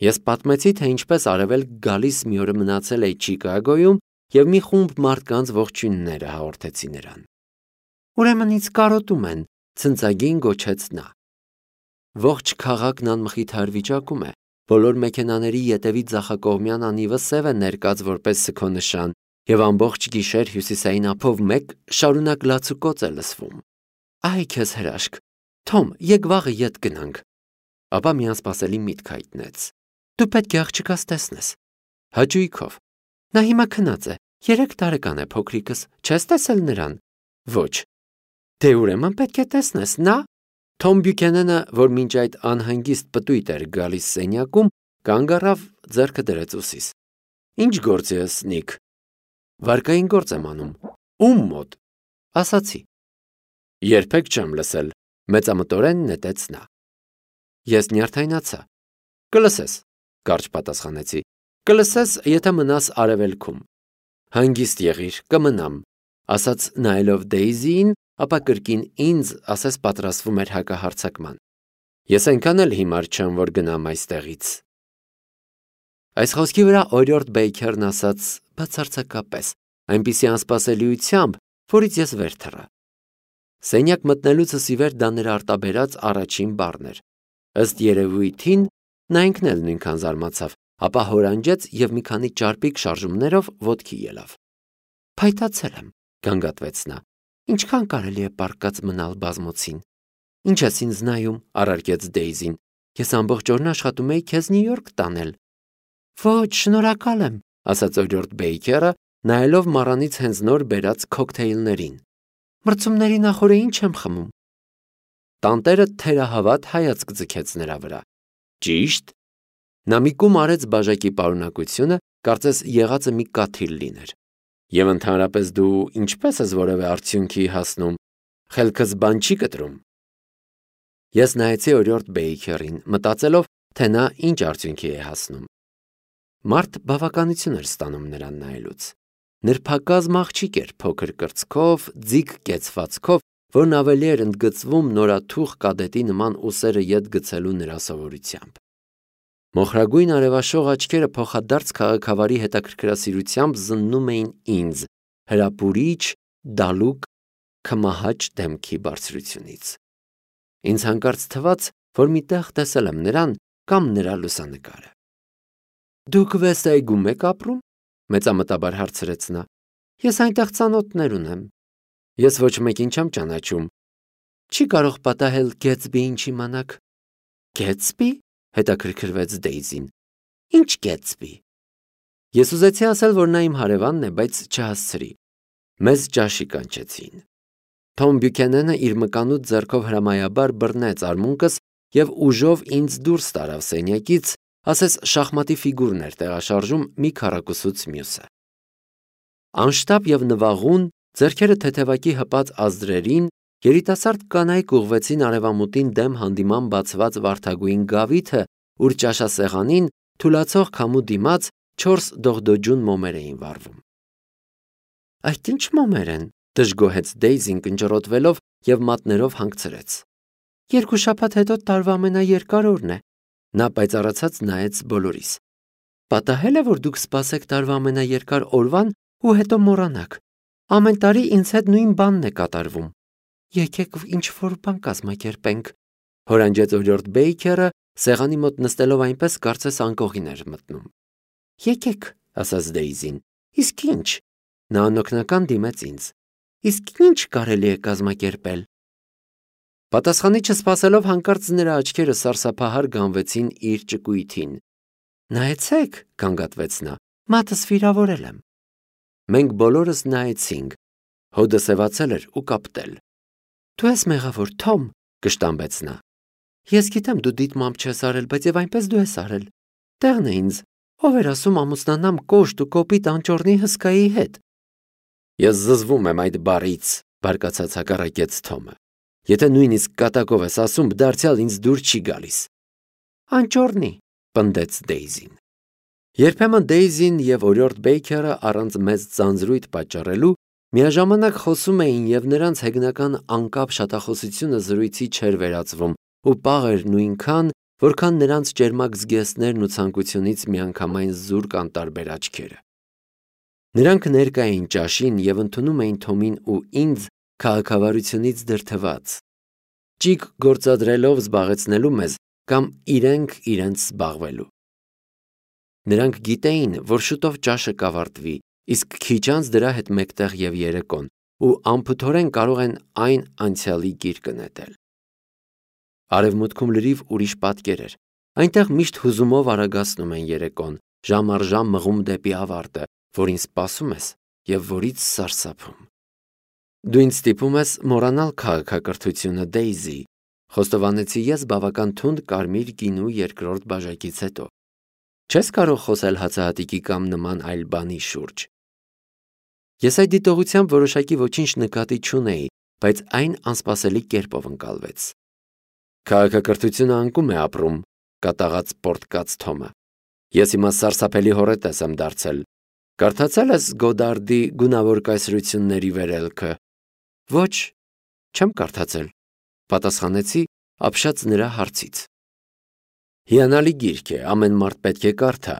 Ես պատմեցի, թե ինչպես արևելք գալիս մի օր մնացել է Չիկագոյում և մի խումբ մարդկանց ողջույնները հաղորդեցի նրան։ Ուրեմն ինձ կարոտում են, ցնծագին գոչեց նա։ Ողջ քաղաքն անմխիթար վիճակում է, բոլոր մեքենաների ետևի ձախակողմյան անիվը սև է ներկած որպես սգոնշան, և ամբողջ գիշեր հյուսիսային ափով մեկ շարունակ լացուկոծ է լսվում։ Այ քեզ հրաշք, Թոմ, եկ վաղը ետ գնանք։ Ապա մի անսպասելի միտք հայտնեց։ Դու պետք է աղջկաս տեսնես։ Հաճույքով։ Նա հիմա քնած է, 3 տարեկան է փոքրիկս, չես տեսել նրան։ Ոչ։ Դե ուրեմն պետք է տեսնես, նա։ Թոմ Բյուքենենը, որ մինչ այդ անհանգիստ պտույտ էր գալիս սենյակում, կանգ առավ, ձեռքը դրեց ուսիս։ Ինչ գործ ես, Նիք։ Վարկային գործ եմ անում։ Ում մոտ։ Ասացի։ Երբեք չեմ լսել, մեծամտորեն նետեց նա։ Ես նյարդայնացա։ Կլսես, կարճ պատասխանեցի։ Կլսես, եթե մնաս արևելքում։ Հանգիստ եղիր, կմնամ, ասաց նայելով Դեյզիին, ապա կրկին ինձ ասես պատրաստվում էր հակահարձակման։ Ես այնքան էլ հիմար չեմ, որ գնամ այստեղից։ Այս խոսքի վրա օրիորդ Բեյքերն ասաց բացարձակապես, այնպիսի անսպասելիությամբ, որից ես վեր թռա։ Սենյակ մտնելուցս ի վեր դա նրա արտաբերած առաջին բառն էր։ Ըստ երևույթին նա ինքն էլ նույնքան զարմացավ, ապա հորանջեց և մի քանի ճարպիկ շարժումներով ոտքի ելավ։ Փայտացել եմ, գանգատվեց նա։ Ինչքան կարելի է պառկած մնալ բազմոցին։ Ինչ ես ինձ նայում, առարկեց Դեյզին։ Ես ամբողջ օրն աշխատում էի քեզ Նյու Յորք տանել։ Ոչ, շնորհակալ եմ, ասաց օրիորդ Բեյքերը, նայելով մառանից հենց նոր բերած քոքթեյլներին։ Մրցումների նախօրը ինչ եմ խմում։ Տանտերը թերահավատ հայացք ձգեց նրա վրա։ Ճիշտ։ Նա մի կում արեց բաժակի պարունակությունը, կարծես եղածը մի կաթիլ լիներ։ Եվ ընդհանրապես դու ինչպես ես որևէ արդյունքի հասնում, խելքս բան չի կտրում։ Ես նայեցի օրիորդ Բեյքերին, մտածելով, թե նա ինչ արդյունքի է հասնում։ Մարդ բավականություն էր ստանում նրան նայելուց։ Նրբակազմ աղջիկ էր փոքր կրծքով, ձիգ կեցվածքով, որն ավելի էր ընդգծվում նորաթուխ կադետի նման ուսերը ետ գցելու նրա սովորությամբ։ Մոխրագույն արևաշող աչքերը փոխադարձ քաղաքավարի հետաքրքրասիրությամբ զննում էին ինձ, հրապուրիչ, դալուկ, քմահաճ դեմքի բարձրությունից։ Ինձ հանկարծ թվաց, որ մի տեղ տեսել եմ նրան կամ նրա լուսանկարը։ Դուք Վեսթ-Էգում եք ապրում, մեծամտաբար հարցրեց նա։ Ես այնտեղ ծանոթներ ունեմ։ Ես ոչ մեկին չեմ ճանաչում։ Չի կարող պատահել Գեթսբիին չիմանաք։ Գեթսբի? Հետաքրքրվեց Դեյզին։ Ինչ Գեթսբի։ Ես ուզեցի ասել, որ նա իմ հարևանն է, բայց չհասցրի։ Մեզ ճաշի կանչեցին։ Թոմ Բյուքենենը իր մկանուտ ձեռքով հրամայաբար բռնեց արմունկս և ուժով ինձ դուրս տարավ սենյակից, ասես շախմատի ֆիգուրն էր տեղաշարժում մի քառակուսուց մյուսը։ Անշտապ և նվաղուն, ձեռքերը թեթևակի հպած ազդրերին, երիտասարդ կանայք ուղղվեցին արևամուտին դեմ հանդիման բացված վարդագույն գավիթը, ուր ճաշասեղանին թուլացող քամու դիմաց 4 դողդոջուն մոմեր էին վառվում։ Այդ ինչ մոմեր են, դժգոհեց Դեյզին կնճռոտվելով և մատներով հանգցրեց։ 2 շաբաթ հետո տարվա ամենաերկար օրն է։ Նա պայծառացած նայեց բոլորիս։ Պատահել է, որ դուք սպասեք տարվա ամենաերկար օրվան ու հետո մոռանաք։ Ամեն տարի ինձ հետ նույն բանն է կատարվում։ Եկեք ինչ-որ բան կազմակերպենք, հորանջեց օրիորդ Բեյքերը, սեղանի մոտ նստելով այնպես, կարծես անկողին էր մտնում։ Եկեք, ասաց Դեյզին։ Իսկ ինչ։ Նա անօգնական դիմեց ինձ։ Իսկ ինչ կարելի է կազմակերպել։ Պատասխանի չսպասելով հանկարծ նրա աչքերը սարսափահար գանվեցին իր ճկույթին։ Նայեցեք, գանգատվեց նա, մատս վիրավորել եմ։ Մենք բոլորս նայեցինք։ Հոդը սևացել էր ու կապտել։ Դու ես մեղավոր, Թոմ, կշտամբեց նա։ Ես գիտեմ դու դիտմամբ չես արել, բայց եւ այնպես դու ես արել։ Տեղն է ինձ, ով էր ասում ամուսնանամ կոշտ ու կոպիտ անճոռնի հսկայի հետ։ Ես զզվում եմ այդ բառից, բարկացած հակառակեց Թոմը։ Եթե նույնիսկ կատակով ես ասում, դարձյալ ինձ դուր չի գալիս։ Անճոռնի, պնդեց Դեյզին։ Երբեմն Դեյզին եւ օրիորդ Բեյքերը առանց մեծ ծանձրույթ պատճառելու միաժամանակ խոսում էին եւ նրանց հեգնական անկապ շատախոսությունը զրույցի չէր վերածվում ու պաղ էր նույնքան, որքան նրանց ճերմակ զգեստներն ու ցանկությունից միանգամայն զուրկ անտարբեր աչքերը։ Նրանք ներկա էին ճաշին և ընդունում էին Թոմին ու ինձ քաղաքավարությունից դրդված, ճիգ գործադրելով զբաղեցնելու մեզ կամ իրենք իրենց զբաղվելու։ Նրանք գիտեին, որ շուտով ճաշը կավարտվի, իսկ քիչ անց դրա հետ մեկտեղ և երեկոն, ու անփութորեն կարող են այն անցյալի գիրկը նետել։ Արևմուտքում լրիվ ուրիշ պատկեր էր։ Այնտեղ միշտ հուզումով արագացնում են երեկոն, ժամ առ ժամ մղում դեպի ավարտը, որին սպասում ես և որից սարսափում։ Դու ինձ ստիպում ես մոռանալ քաղաքակրթությունը, Դեյզի, խոստովանեցի ես բավական թունդ կարմիր գինու երկրորդ բաժակից հետո։ Չես կարող խոսել հացահատիկի կամ նման այլ բանի շուրջ։ Ես այդ դիտողությամբ որոշակի ոչինչ նկատի չունեի, բայց այն անսպասելի կերպով ընկալվեց։ Քաղաքակրթությունը անկում է ապրում, կատաղած պորտկաց Թոմը։ Ես հիմա սարսափելի հոռետես եմ դարձել։ Կարդացել ես Գոդարդի գունավոր կայսրությունների վերելքը։ Ոչ, չեմ կարդացել, պատասխանեցի, ապշած նրա հարցից։ Հիանալի գիրք է, ամեն մարդ պետք է կարդա։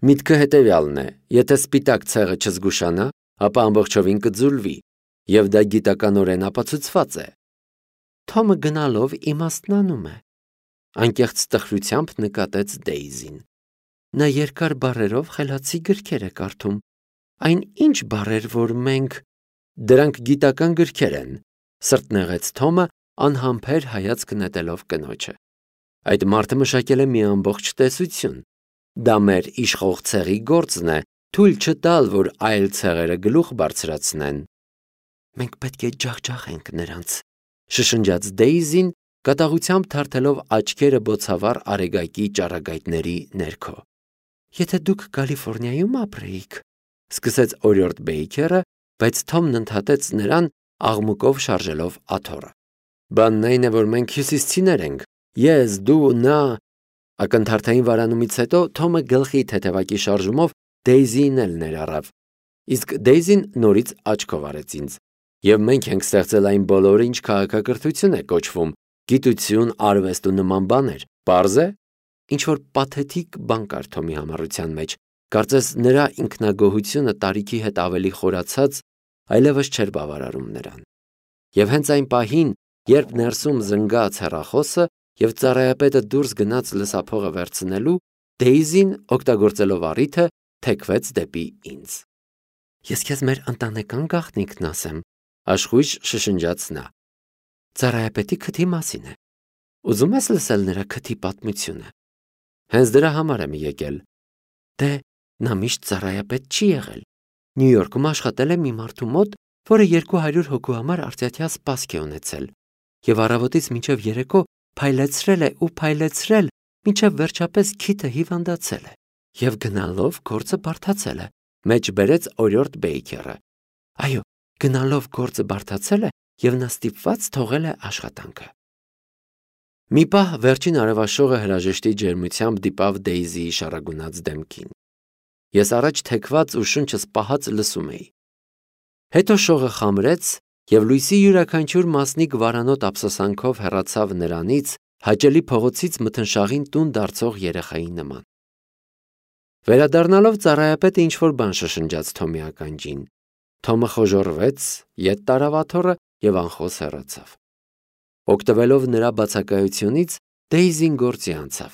Միտքը հետևյալն է, եթե սպիտակ ցեղը չզգուշանա, ապա ամբողջովին կձուլվի, և դա գիտականորեն ապացուցված է։ Թոմը գնալով իմաստնանում է, անկեղծ տխրությամբ նկատեց Դեյզին։ Նա երկար բառերով խելացի գրքեր է կարդում։ Այն ինչ բառեր, որ մենք… Դրանք գիտական գրքեր են, սրտնեղեց Թոմը, անհամբեր հայացք նետելով կնոջը։ Այդ մարդը մշակել է մի ամբողջ տեսություն։ Դա մեր իշխող ցեղի գործն է, թույլ չտալ, որ այլ ցեղերը գլուխ բարձրացնեն։ Մենք պետք է ջախջախենք նրանց, շշնջաց Դեյզին, կատաղությամբ թարթելով աչքերը բոցավառ արեգակի ճառագայթների ներքո։ Եթե դուք Կալիֆոռնիայում ապրեիք, սկսեց օրիորդ Բեյքերը, բայց Թոմն ընդհատեց նրան աղմուկով շարժելով աթոռը։ Բանն այն է, որ մենք հյուսիսցիներ ենք, ես, դու, նա… Ակնթարթային վարանումից հետո Թոմը գլխի թեթևակի շարժումով Դեյզիին էլ ներառավ, իսկ Դեյզին նորից աչքով արեց ինձ։ Եվ մենք ենք ստեղծել այն բոլորը, ինչ քաղաքակրթություն է կոչվում, գիտություն, արվեստ ու նման բաներ, պարզ է։ Ինչ-որ պաթետիկ բան կար Թոմի համառության մեջ, կարծես նրա ինքնագոհությունը տարիքի հետ ավելի խորացած, այլևս չէր բավարարում նրան։ Եվ հենց այն պահին, երբ ներսում զնգաց հեռախոսը և ծառայապետը դուրս գնաց լսափողը վերցնելու, Դեյզին, օգտագործելով առիթը, թեքվեց դեպի ինձ։ Ես քեզ մեր ընտանեկան գաղտնիքն ասեմ, աշխույժ շշնջաց նա։ Ծառայապետի քթի մասին է։ Ուզում ես լսել նրա քթի պատմությունը։ Հենց դրա համար եմ եկել։ Դե, նա միշտ ծառայապետ չի եղել։ Նյու Յորքում աշխատել է մի մարդու մոտ, որը 200 հոգու համար արծյաթյա սպասք է ունեցել, և առավոտից մինչև երեկո փայլեցրել է ու փայլեցրել, մինչև վերջապես քիթը հիվանդացել է, և գնալով գործը բարդացել է, մեջ բերեց օրիորդ Բեյքերը։ Այո, գնալով գործը բարդացել է, և նա ստիպված թողել է աշխատանքը։ Մի պահ վերջին արևաշողը հրաժեշտի ջերմությամբ դիպավ Դեյզիի շառագունած դեմքին։ Ես առաջ թեքված ու շունչս պահած լսում էի։ Հետո շողը խամրեց, և լույսի յուրաքանչյուր մասնիկ վարանոտ ափսոսանքով հեռացավ նրանից, հաճելի փողոցից մթնշաղին տուն դարձող երեխայի նման։ Վերադառնալով ծառայապետը ինչ-որ բան շշնջաց Թոմի ականջին։ Թոմը խոժոռվեց, ետ տարավ աթոռը և անխոս հեռացավ։ Օգտվելով նրա բացակայությունից, Դեյզին գործի անցավ։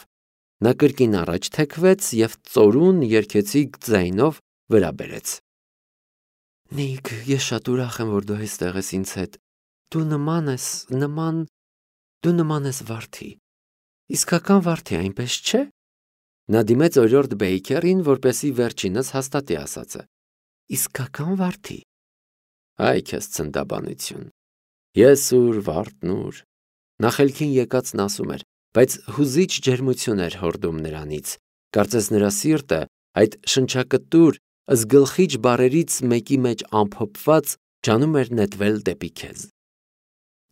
Նա կրկին առաջ թեքվեց և ծորուն երգեցիկ ձայնով վրա բերեց։ Նիք, ես շատ ուրախ եմ, որ դու այստեղ ես ինձ հետ։ Դու նման ես վարդի։ Իսկական վարդի, այնպես չէ։ Նա դիմեց օրիորդ Բեյքերին, որպեսզի վերջինս հաստատի ասածը։ Իսկական վարդի։ Այ քեզ ցնդաբանություն։ Ես ուր, վարդն ուր։ Նա խելքին եկածն ասում էր, բայց հուզիչ ջերմություն էր հորդում նրանից, կարծես նրա սիրտը այդ շնչակտուր, զգլխիչ բառերից մեկի մեջ ամփոփված ջանում էր նետվել դեպի քեզ։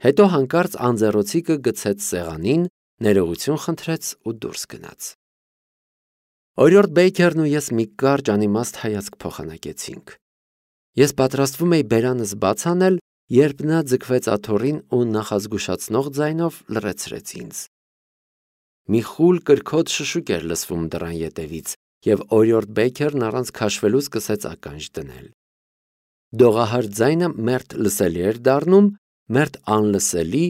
Հետո հանկարծ անձեռոցիկը գցեց սեղանին, ներողություն խնդրեց ու դուրս գնաց։ Օրիորդ Բեյքերն ու ես մի կարճ անիմաստ հայացք փոխանակեցինք։ Ես պատրաստվում էի բերանս բաց անել, երբ նա ձգվեց աթոռին ու նախազգուշացնող ձայնով լռեցրեց ինձ։ Մի խուլ կրքոտ շշուկ էր լսվում դռան ետևից, եւ օրիորդ Բեյքերն առանց քաշվելու սկսեց ականջ դնել։ Դողահար ձայնը մերթ լսելի էր դառնում, մերթ անլսելի,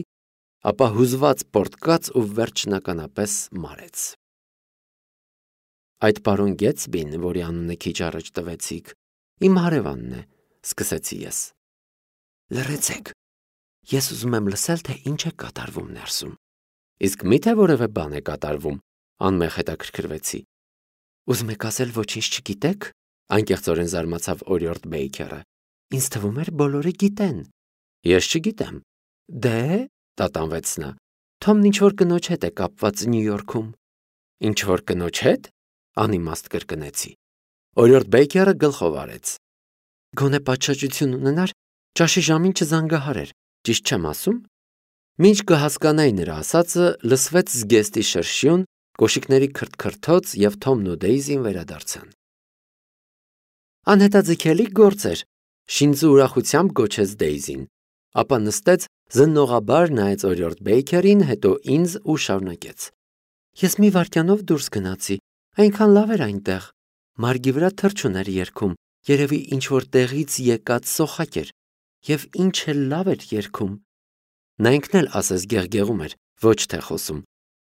ապա հուզված պորտկաց ու վերջնականապես մարեց։ Այդ պարոն Գետսբին, որի անունը քիչ առաջ տվեցիք, իմ հարևանն է, սկսեցի ես։ Լռեցեք, ես ուզում եմ լսել, թե ինչ է կատարվում ներսում։ Իսկ մի՞թե որևէ բան է կատարվում, անմեղ հետաքրքրվեցի։ Ուզում եք ասել ոչինչ չգիտեք, անկեղծորեն զարմացավ օրիորդ Բեյքերը։ Ինձ թվում էր բոլորը գիտեն։ Ես չգիտեմ։ Դե, տատանվեց նա, Թոմն ինչ-որ կնոջ հետ է կապված Նյու Յորքում։ Ինչ-որ կնոջ հետ, անիմաստ կրկնեցի։ Օրիորդ Բեյքերը գլխով արեց։ Գոնե պատշաճություն ունենար, ճաշի ժամին չզանգահարեր, ճիշտ չեմ ասում։ Մինչ կհասկանայի նրա ասածը, լսվեց զգեստի շրշյուն, կոշիկների քրթքրթոց եւ Թոմն ու Դեյզին վերադարձան։ Անհետաձգելի գործ էր, Շինձու ուրախությամբ գոչեց Դեյզին, ապա նստեց, զննողաբար նայեց օրիորդ Բեյքերին, հետո ինձ ու շարունակեց։ Ես մի վայրկյանով դուրս գնացի, այնքան լավ էր այնտեղ։ Մարգի վրա թռչուն էր երգում, երևի ինչ-որ տեղից եկած սոխակ էր, եւ ինչ էլ լավ էր երգում։ Նա ինքն էլ ասես գեղգեղում էր, ոչ թե խոսում։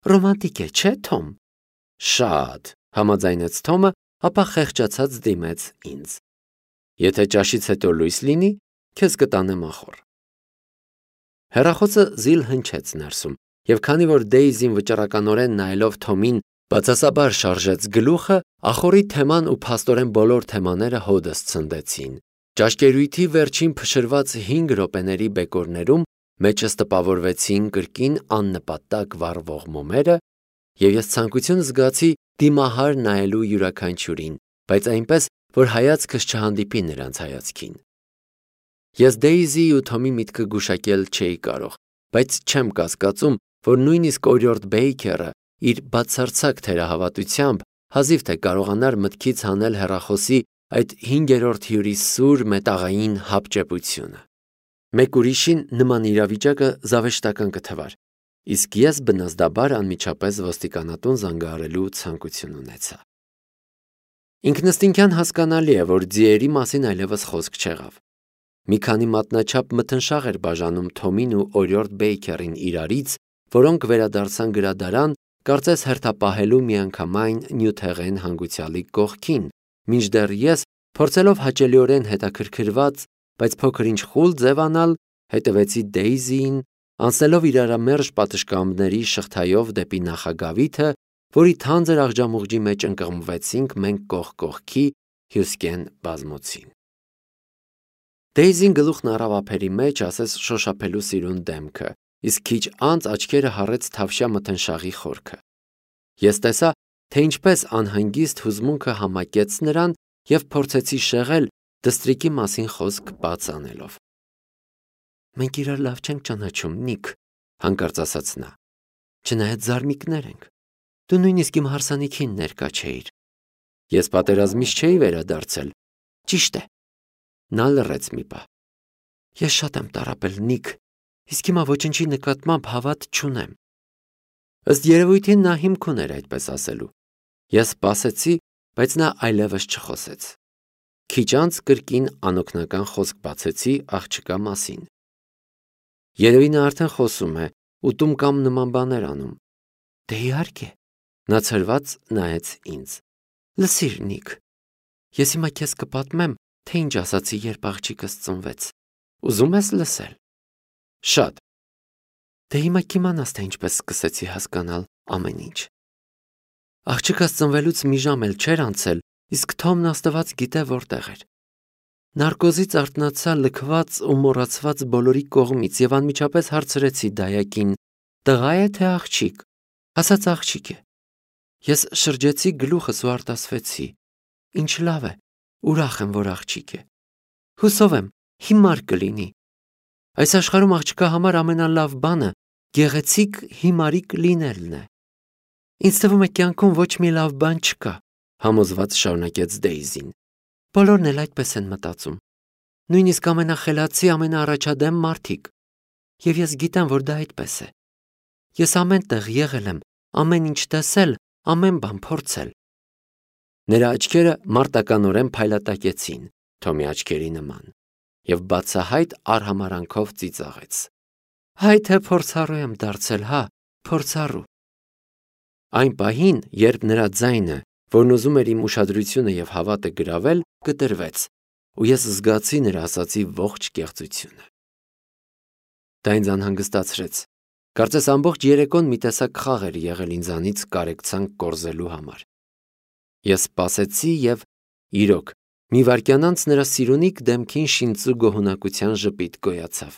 Ռոմանտիկ է, չէ՞, Թոմ։ Շատ, համաձայնեց Թոմը, ապա խեղճացած դիմեց ինձ։ Եթե ճաշից հետո լույս լինի, քեզ կտանեմ ախոր։ Հեռախոսը զիլ հնչեց ներսում, եւ քանի որ Դեյզին վճռականորեն նայելով Թոմին բացասաբար շարժեց գլուխը, ախորի թեման ու փաստորեն բոլոր թեմաները հոդս ցնդեցին։ Ճաշկերույթի վերջին փշրված 5 րոպեների բեկորներում մեջս տպավորվեցին կրկին աննպատակ վառվող մոմերը, եւ ես ցանկություն զգացի դիմահար նայելու յուրաքանչյուրին, բայց այնպես, որ հայացքս չհանդիպի նրանց հայացքին։ Ես Դեյզի ու Թոմի միտքը գուշակել չէի կարող, բայց չեմ կասկածում, որ նույնիսկ օրիորդ Բեյքերը իր բացարձակ թերահավատությամբ հազիվ թե կարողանար մտքից հանել հեռախոսի այդ 5-րդ հյուրի սուր մետաղային հապճեպությունը։ Մեկ ուրիշին նման իրավիճակը զավեշտական կթվար, իսկ ես բնազդաբար անմիջապես ոստիկանատուն զանգահարելու ցանկություն ունեցա։ Ինքնըստինքյան հասկանալի է, որ ձիերի մասին այլևս խոսք չեղավ։ Մի քանի մատնաչափ մթնշաղ էր բաժանում Թոմին ու օրիորդ Բեյքերին իրարից, որոնք վերադարձան գրադարան, կարծես հերթապահելու միանգամայն նյութեղեն հանգուցյալի կողքին, մինչդեռ ես, փորձելով հաճելիորեն հետաքրքրված, բայց փոքր-ինչ խուլ ձևանալ, հետևեցի Դեյզիին, անցնելով իրարամերժ պատշգամբների շղթայով դեպի նախագավիթը, որի թանձր աղջամուղջի մեջ ընկղմվեցինք մենք կողք կողքի հյուսկեն բազմոցին։ Դեյզին գլուխն առավ ափերի մեջ, ասես շոշափելու սիրուն դեմքը, իսկ քիչ անց աչքերը հառեց թավշյա մթնշաղի խորքը։ Ես տեսա, թե ինչպես անհանգիստ հուզմունքը համակեց նրան եւ փորձեցի շեղել դստրիկի մասին խոսք բաց անելով։ Մենք իրար լավ չենք ճանաչում, Նիք, հանկարծ ասաց նա։ Չնայած զարմիկներ ենք։ Դու նույնիսկ իմ հարսանիքին ներկա չէիր։ Ես պատերազմից չէի վերադարձել։ Ճիշտ է։ Նա լռեց մի պահ։ Ես շատ եմ տառապել, Նիք, իսկ հիմա ոչինչի նկատմամբ հավատ չունեմ։ Ըստ երևույթին նա հիմք ուներ այդպես ասելու։ Ես սպասեցի, բայց նա այլևս չխոսեց։ Քիչ անց կրկին անօգնական խոսք բացեցի աղջկա մասին։ Երևի նա արդեն խոսում է, ուտում կամ նման բաներ անում։ Դե իհարկե, նա ցրված նայեց ինձ։ Լսիր, Նիք, ես հիմա քեզ կպատմեմ, թե ինչ ասացի, երբ աղջիկս ծնվեց։ Ուզում ես լսել։ Շատ։ Դե հիմա կիմանաս, թե ինչպես սկսեցի հասկանալ ամեն ինչ։ Աղջիկս ծնվելուց մի ժամ էլ չէր անցել, իսկ Թոմն աստված գիտե որտեղ էր։ Նարկոզից արթնացա լքված ու մոռացված բոլորի կողմից եւ անմիջապես հարցրեցի դայակին. տղա է թե աղջիկ։ Ասաց աղջիկ է։ Ես շրջեցի գլուխս ու արտասվեցի։ Ինչ լավ է, ուրախ եմ, որ աղջիկ է։ Հուսով եմ, հիմար կլինի։ Այս աշխարհում աղջկա համար ամենալավ բանը գեղեցիկ հիմարիկ լինելն է։ Ինձ թվում է կյանքում ոչ մի լավ բան չկա, համոզված շարունակեց Դեյզին։ Բոլորն էլ այդպես են մտածում։ Նույնիսկ ամենախելացի, ամենաառաջադեմ մարդիկ։ Եվ ես գիտեմ, որ դա այդպես է։ Ես ամեն տեղ եղել եմ, ամեն ինչ տեսել, ամեն բան փորձել։ Նրա աչքերը մարտականորեն փայլատակեցին Թոմի աչքերի նման և բացահայտ արհամարանքով ծիծաղեց։ Հայ թե փորձառու եմ դարձել, հա, փորձառու։ Այն պահին, երբ նրա ձայնը, որն ուզում էր իմ ուշադրությունը և հավատը գրավել, կտրվեց, ու ես զգացի նրա ասածի ողջ կեղծությունը։ Դա ինձ անհանգստացրեց։ Կարծես ամբողջ երեկոն մի տեսակ խաղ էր եղել ինձանից կարեկցանք կորզելու համար։ Ես սպասեցի և, իրոք, մի վայրկյան անց նրա սիրունիկ դեմքին շինծու գոհունակության ժպիտ գոյացավ։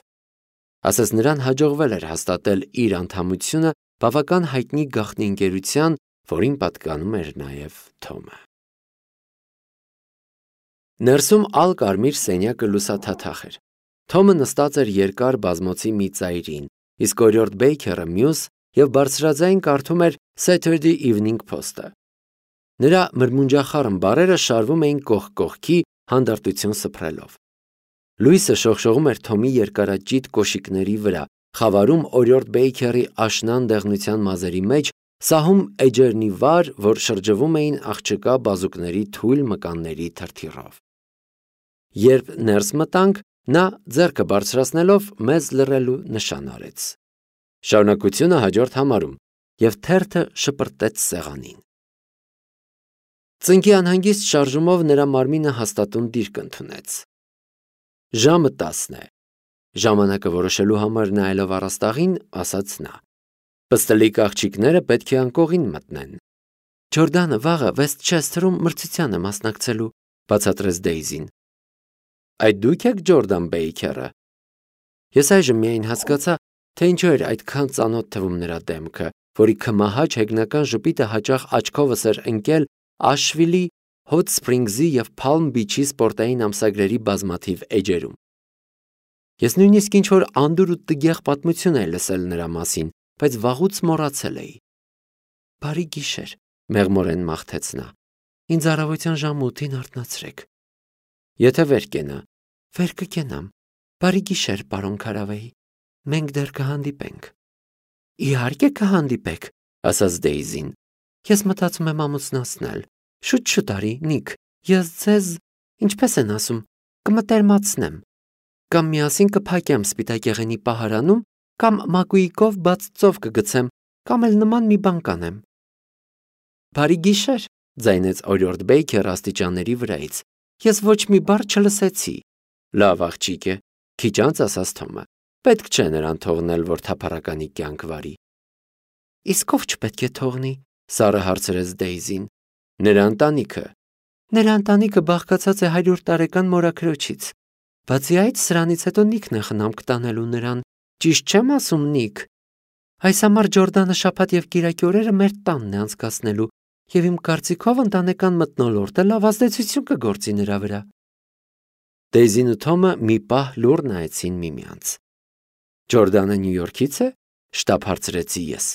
Ասես նրան հաջողվել էր հաստատել իր անդամությունը բավական հայտնի գաղտնի ընկերության, որին պատկանում էր նաև Թոմը։ Ներսում ալ-կարմիր սենյակը լուսաթաթախ էր։ Թոմը նստած էր երկար բազմոցի մի ծայրին, իսկ օրիորդ Բեյքերը մյուս և բարձրաձայն կարդում էր Saturday Evening Post-ը։ Նրա մրմունջախառն բառերը շարվում էին կողք կողքի, հանդարտություն սփռելով։ Լույսը շողշողում էր Թոմի երկարաճիտ կոշիկների վրա, խավարում օրիորդ Բեյքերի աշնան դեղնության մազերի մեջ, սահում էջերնի վար, որ շրջվում էին աղջկա բազուկների թույլ մկանների թրթիռով։ Երբ ներս մտանք, նա ձեռքը բարձրացնելով մեզ լռելու նշան արեց։ Շարունակությունը հաջորդ համարում, և թերթը շպրտեց սեղանին։ Ծնկի անհանգիստ շարժումով նրա մարմինը հաստատուն դիրք ընդունեց։ Ժամը 10 է։ Ժամանակը որոշելու համար նայելով առաստաղին, ասաց նա. Պստլիկ աղջիկները պետք է անկողին մտնեն։ Ջորդանը վաղը Վեսթչեսթերում մրցության է մասնակցելու, բացատրեց Դեյզին։ Այդ դուք եք Ջորդան Բեյքերը։ Ես այժմ միայն հասկացա, թե ինչու էր այդքան ծանոթ թվում նրա դեմքը, որի քմահաճ հեգնական ժպիտը հաճախ աչքովս էր ընկել Աշվիլի, Հոտ Սփրինգզի և Փալմ Բիչի սպորտային ամսագրերի բազմաթիվ էջերում։ Ես նույնիսկ ինչ-որ անդուր ու տգեղ պատմություն էի լսել նրա մասին, բայց վաղուց մոռացել էի։ Բարի գիշեր, մեղմորեն մաղթեց նա։ Ինձ առավոտյան ժամը 8-ին արթնացրեք։ Եթե վեր կենա, վեր կկենամ։ Բարի գիշեր, պարոն Քարավեի։ Մենք դեռ կհանդիպենք։ Իհարկե կհանդիպեք, ասաց Դեյզին։ Ես մտածում եմ ամուսնացնել։ Շուտ արի, Նիք, ես ձեզ, ինչպես են ասում, կմտերմացնեմ։ Կամ միասին կփակեմ սպիտակեղենի պահարանում, կամ մակույկով բաց ծով կգցեմ, կամ էլ նման մի բան կանեմ։ Բարի գիշեր, ձայնեց օրիորդ Բեյքերը աստիճանների վրայից։ Ես ոչ մի բառ չլսեցի։ Լավ աղջիկ է, քիչ անց ասաց Թոմը։ Պետք չէ նրան թողնել, որ թափառականի կյանք վարի։ Իսկ ով չպետք է թողնի, սառը հարցրեց Դեյզին։ Նրա ընտանիքը։ Նրա ընտանիքը բաղկացած է 100 տարեկան մորաքրոջից։ Բացի այդ, սրանից հետո Նիքն է խնամք տանելու նրան։ Ճիշտ չեմ ասում, Նիք։ Այս համար Ջորդանը շաբաթ և կիրակի օրերը մեր տանն է անցկացնելու, և իմ կարծիքով ընտանեկան մթնոլորտը լավ ազդեցություն կգործի նրա վրա։ Դեյզին ու Թոմը մի պահ լուռ նայեցին միմյանց։ Ջորդանը Նյու Յորքից է, շտապ հարցրեցի ես։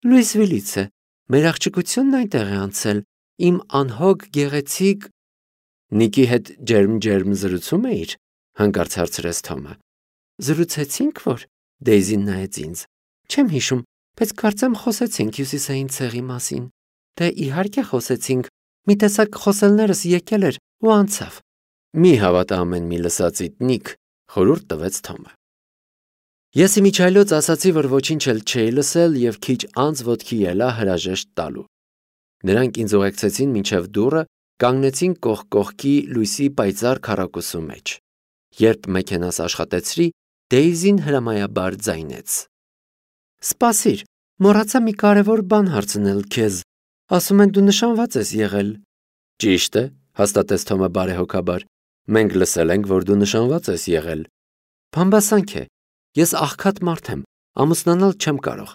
Լուիսվիլից է։ Մեր աղջկությունն այնտեղ է անցել։ Իմ անհոգ գեղեցիկ Նիկի հետ ջերմ զրուցում էիր, հանկարծ հարցրեց Թոմը։ Զրուցեցինք, որ Դեյզին նայեց ինձ։ Չեմ հիշում, բայց կարծեմ խոսեցինք հյուսիսային ցեղի մասին։ Դե իհարկե խոսեցինք, մի տեսակ խոսելներս եկել էր ու անցավ։ Մի հավատա ամեն մի լսածիդ, Նիք, խորհուրդ տվեց Թոմը։ Ես իմիջայլոց ասացի, որ ոչինչ էլ չէի լսել և քիչ անց ոտքի ելա հրաժեշտ տալու։ Նրանք ինձ ուղեկցեցին մինչև դուռը, կանգնեցին կողք կողքի լույսի պայծառ քառակուսու մեջ։ Երբ մեքենաս աշխատեցրի, Դեյզին հրամայաբար ձայնեց. Սպասիր, մոռացա մի կարևոր բան հարցնել քեզ։ Ասում են դու նշանված ես եղել։ Ճիշտ է, հաստատեց Թոմը բարեհոգաբար։ Մենք լսել ենք, որ դու նշանված ես եղել։ Բամբասանք է։ Ես աղքատ մարդ եմ, ամուսնանալ չեմ կարող։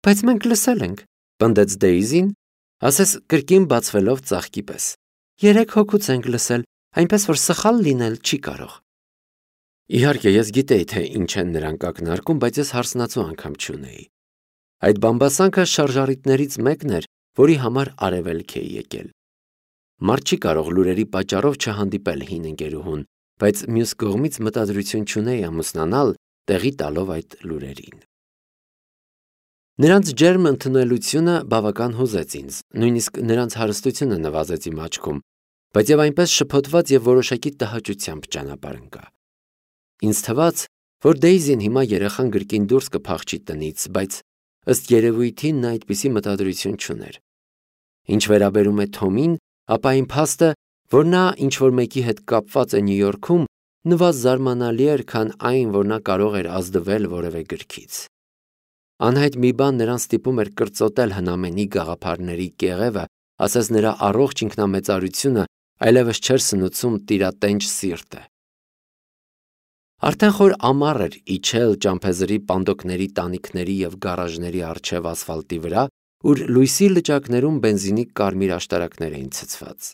Բայց մենք լսել ենք, պնդեց Դեյզին, ասես կրկին բացվելով ծաղկի պես։ 3 հոգուց ենք լսել, այնպես որ սխալ լինել չի կարող։ Իհարկե, ես գիտեի, թե ինչ են նրանք ակնարկում, բայց ես հարսնացու անգամ չունեի։ Այդ բամբասանքը շարժառիթներից մեկն էր, որի համար արևելք էի եկել։ Մարդ չի կարող լուրերի պատճառով չհանդիպել հին ընկերուհուն, բայց մյուս կողմից մտադրություն չունեի ամուսնանալ, տեղի տալով այդ լուրերին։ Նրանց ջերմ ընդունելությունը բավական հուզեց ինձ, նույնիսկ նրանց հարստությունը նվազեց իմ աչքում, բայց եւ այնպես շփոթված եւ որոշակի տհաճությամբ ճանապարհ ընկա։ Ինձ թվաց, որ Դեյզին հիմա երեխան գրկին դուրս կփախչի տնից, բայց ըստ երևույթին նա այդպիսի մտադրություն չուներ։ Ինչ վերաբերում է Թոմին, ապա այն փաստը, որ նա ինչ-որ մեկի հետ կապված է Նյու Յորքում, նվազ զարմանալի էր, քան այն, որ նա կարող էր ազդվել որևէ գրքից։ Անհայտ մի բան նրան ստիպում էր կրծոտել հնամենի գաղափարների կեղևը, ասես նրա առողջ ինքնամեծարությունը այլևս չէր սնուցում տիրատենչ սիրտը։ Արդեն խոր ամառ էր իջել ճամփեզրի պանդոկների տանիքների եւ գարաժների առջև ասֆալտի վրա, ուր լույսի լճակներում բենզինի կարմիր աշտարակներ էին ցցված։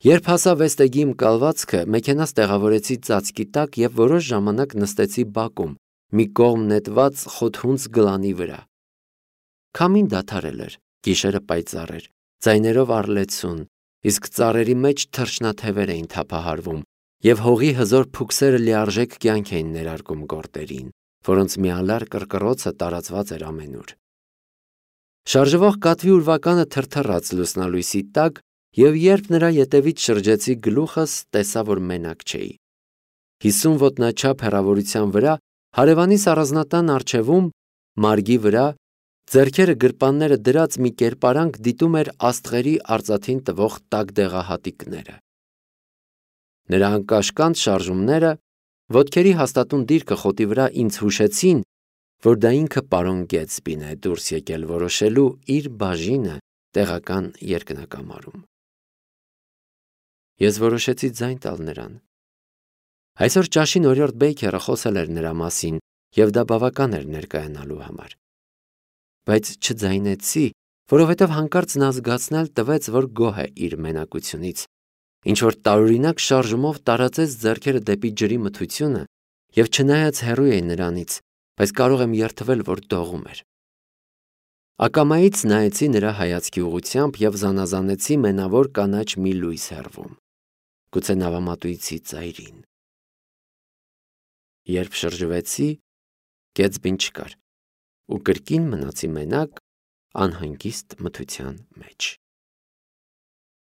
Երբ հասա Վեստեգի իմ կալվածքը, մեքենաս տեղավորեցի ծածկի տակ եւ որոշ ժամանակ նստեցի բակում, մի կողմ նետված խոթհունց գլանի վրա։ Քամին դադարել էր, գիշերը պայծառ էր, ձայներով առլեցուն, իսկ ծառերի մեջ թռչնաթևեր էին թափահարվում, եւ հողի հզոր փուքսերը լիարժեք կյանք էին ներարկում գորտերին, որոնց միալար կռկռոցը տարածված էր ամենուր։ Շարժվող կատվի ուրվականը թրթռաց լուսնալույսի տակ, եւ երբ նրա ետևից շրջեցի գլուխս, տեսա, որ մենակ չէի։ 50 ոտնաչափ հեռավորության վրա հարևանիս առանձնատան առջևում, մարգի վրա, ձեռքերը գրպանները դրած մի կերպարանք դիտում էր աստղերի արծաթին տվող տաք դեղահատիկները։ Նրա անկաշկանդ շարժումները, ոտքերի հաստատուն դիրքը խոտի վրա ինձ հուշեցին, որ դա ինքը պարոն Գեթսբին է դուրս եկել որոշելու իր բաժինը տեղական երկնակամարում։ Ես որոշեցի ձայն տալ նրան։ Այսօր ճաշին օրիորդ Բեյքերը խոսել էր նրա մասին, եւ դա բավական էր ներկայանալու համար։ Բայց չձայնեցի, որովհետև հանկարծ նա զգացնել տվեց, որ գոհ է իր մենակությունից, ինչ-որ տարօրինակ շարժումով տարածեց ձեռքերը դեպի ջրի մթությունը եւ չնայած հեռու էի նրանից, բայց կարող եմ երդվել, որ դողում էր։ Ակամայից նայեցի նրա հայացքի ուղղությամբ եւ զանազանեցի մենավոր կանաչ մի լույս հեռվում, գուցե նավամատույցի ծայրին։ Երբ շրջվեցի, Գեթսբին չկար ու կրկին մնացի մենակ անհանգիստ մթության մեջ։